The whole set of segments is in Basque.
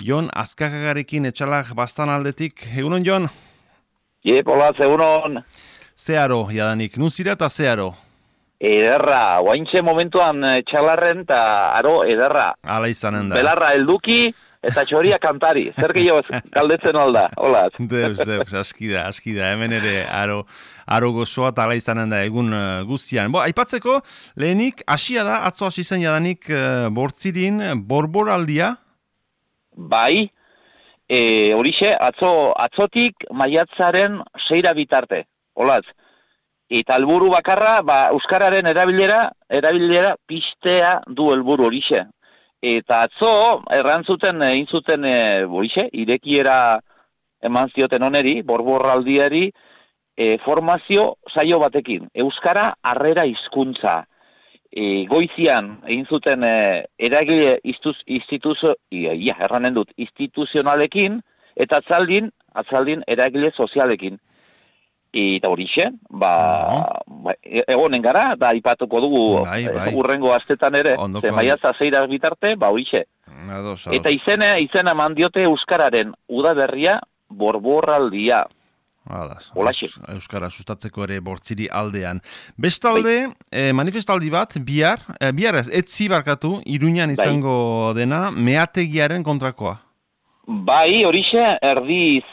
Jon Azkagagarekin etxalak bastan aldetik. Egunon, Jon? Hola, egunon. Zeharo, jadanik. Nun zira eta zeharo? Ederra, oaintxe momentuan txalarren eta aro ederra. Hala izanen da. Belarra helduki eta txoria kantari. Zer gehiago galdetzen alda, hola. Deus, aski da. Hemen ere aro gozoa eta hala izanen da egun guztian. Aipatzeko, lehenik, hasia da, atzo hasi zen jadanik Bortzirin borboraldia? Bai, horixe, atzotik maiatzaren 6 bitarte, holaz. Eta helburu bakarra, euskararen erabilera pistea du helburu horixe. Eta atzo, egin zuten horixe, irekiera eman zioten oneri, borborraldiari, formazio saio batekin. Euskara harrera hizkuntza. Goizian egin zuten eragile instituzionalekin, eta atzaldin eragile sozialekin. Eta horixe, egonen gara, da ipatuko dugu urrengo astetan ere, maiatza 6 bitarte, horixe. Eta izena eman diote euskararen udaberria borborraldia. Euskara sustatzeko ere Bortziri aldean. Bestalde, manifestaldi bat, bihar etzi barkatu, Iruñan izango dena, meategiaren kontrakoa. Bai, horixe, erdiz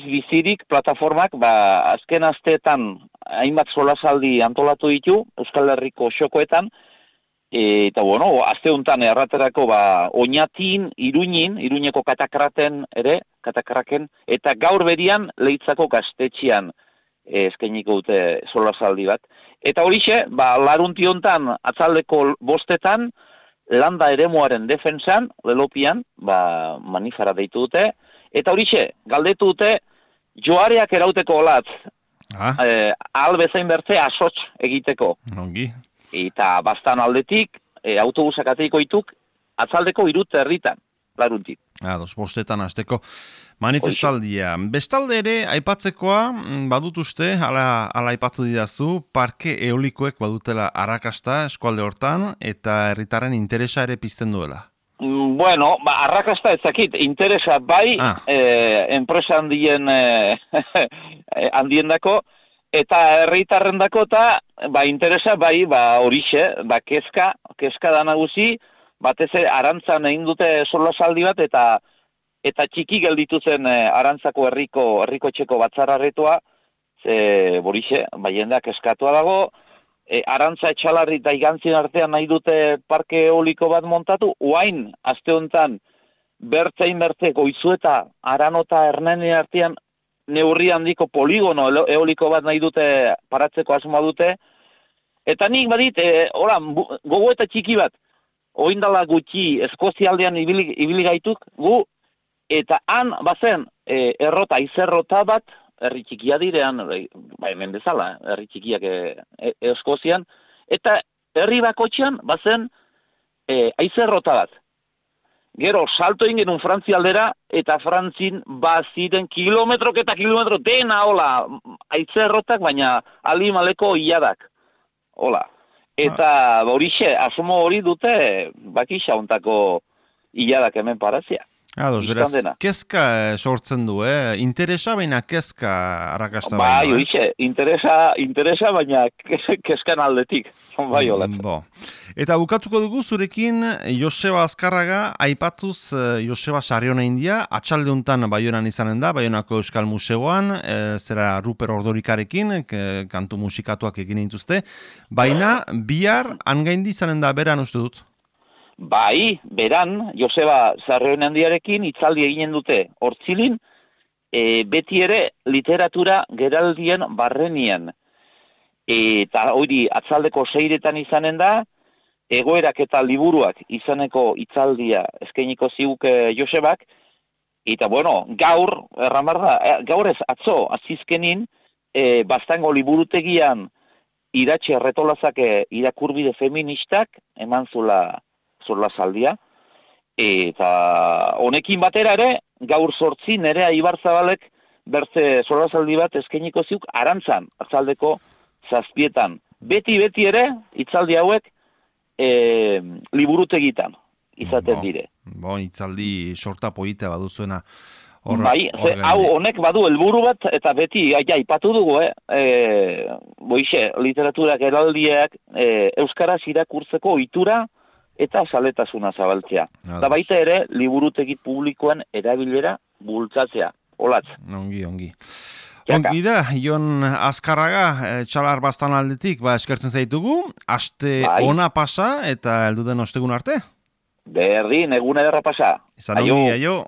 bizirik plataformak, azken asteetan hainbat solasaldi antolatu ditu, Euskal Herriko xokoetan, eta aste honetan erraterako Oñatin, Iruñeko katakraken, eta gaur berian Leitzako gaztetxean eskainiko dute solasaldi bat. Eta horixe, larunti honetan atzaldeko 5 landa eremuaren defensan, lelopian, manifara deitu dute, eta horixe, galdetu dute, joareak erauteko olatz, albezain bertze asots egiteko. Ongi. Eta bastan aldetik, autobusak ateiko ituk, atzaldeko 3 herritan, laruntik. 5 hasteko manifestaldia. Bestalde ere, aipatzekoa, badut uste, hala aipatu didazu, parke eolikoek badutela arrakasta eskualde hortan, eta herritarren interesa ere pizten duela. Bueno, arrakasta ezakit, interesa bai, enpresa handiendako, eta herritarrendako eta interesa bai, horixe, kezka da nagusi, batez arantzan egin dute solasaldi bat, eta txiki gelditu zen Arantzako herriko etxeko batzarraretoa, horixe, jendeak eskatua dago, Arantza Etxalarri eta Igantzin artean nahi dute parke eoliko bat montatu, oain, aste honetan, bertzein Goizueta, Aranota, Hernani artean, neurri handiko poligono eoliko bat nahi dute paratzeko asmoa dute, eta nik badit, gogo eta txiki bat, oindala gutxi Eskozialdean ibili gaituk, eta han bazen izerrota bat, herri txikia direan, hemen bezala, herri txikiak Eskozian, eta herri bakotxean bazen izerrota bat. Gero, salto egin genuen Frantzia aldera, eta Frantzin baziren kilometro dena, izerrotak, baina alimaleko iadak. Eta horixe, asomo hori dute bakisa hontako iladak hemen parazia. Beraz, kezka sortzen du, interesa baina kezka arrakasta baina. Bai, horixe, interesa baina kezkan aldetik. Bai, Eta bukatuko dugu zurekin Joseba Azkarraga, aipatuz Joseba Sarriona India, atxaldeuntan Baionan izanen da, Baionako Euskal Museoan, zera Ruper Ordorikarekin, kantu musikatuak egin dituzte, baina bihar angaindi izanen da beran uste dut? Bai, beran, Joseba Sarriona Indiarekin hitzaldi eginen dute Hortzilin, beti ere literatura geraldien barrenian. Eta hori atzaldeko 6 izanen da, egoerak eta liburuak izaneko hitzaldia eskainiko ziguke Josebak, eta gaur, gaur ez atzo azizkenin, bastango liburutegian iratxe erretolazake irakurbide feministak eman solasaldia, eta honekin batera ere, gaur 8 Nerea Ibarzabalek bertze solasaldi bat eskainiko ziuk Arantzan, atzaldeko 7. Beti ere, hitzaldi hauek liburutegitan izaten dire. Itzaldi sorta poitea baduzuena. Hau honek badu helburu bat, eta beti aipatu dugu, literaturak eraldiak euskaraz irakurtzeko ohitura eta zaletasuna zabaltzea. Eta baita ere, liburutegi publikoan erabilera bultzatzea. Olatz. Ongi. Ongi da, Jon Azkarraga, txalar bastan aldetik, eskertzen zaitugu, aste ona pasa eta helduden ostegun arte? Berdin, egun ederra pasa. Izan ongi, aio.